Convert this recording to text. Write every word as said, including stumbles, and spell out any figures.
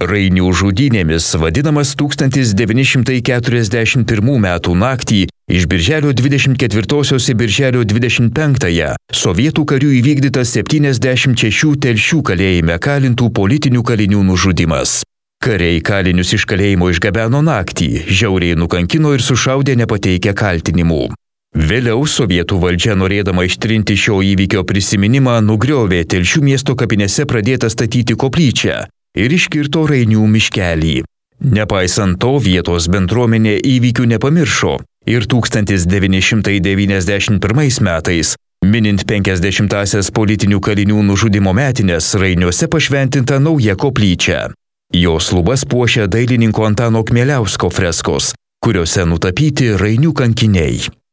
Rainių žudynėmis vadinamas tūkstantis devyni šimtai keturiasdešimt pirmų metų naktį iš birželio dvidešimt ketvirtosios į birželio dvidešimt penktąją sovietų karių įvykdytas septyniasdešimt šešių Telšių kalėjime kalintų politinių kalinių nužudymas. Kariai kalinius iš kalėjimo išgabeno naktį, žiauriai nukankino ir sušaudė nepateikę kaltinimų. Vėliau sovietų valdžia, norėdama ištrinti šio įvykio prisiminimą, nugriovė Telšių miesto kapinėse pradėtą statyti koplyčią ir iškirto Rainių miškelį. Nepaisant to, vietos bendruomenė įvykių nepamiršo ir tūkstantis devyni šimtai devyniasdešimt pirmais metais, minint penkiasdešimtąsias politinių kalinių nužudymo metines, Rainiuose pašventinta nauja koplyčia. Jos lubas puošia dailininko Antano Kmieliausko freskos, kuriuose nutapyti Rainių kankiniai.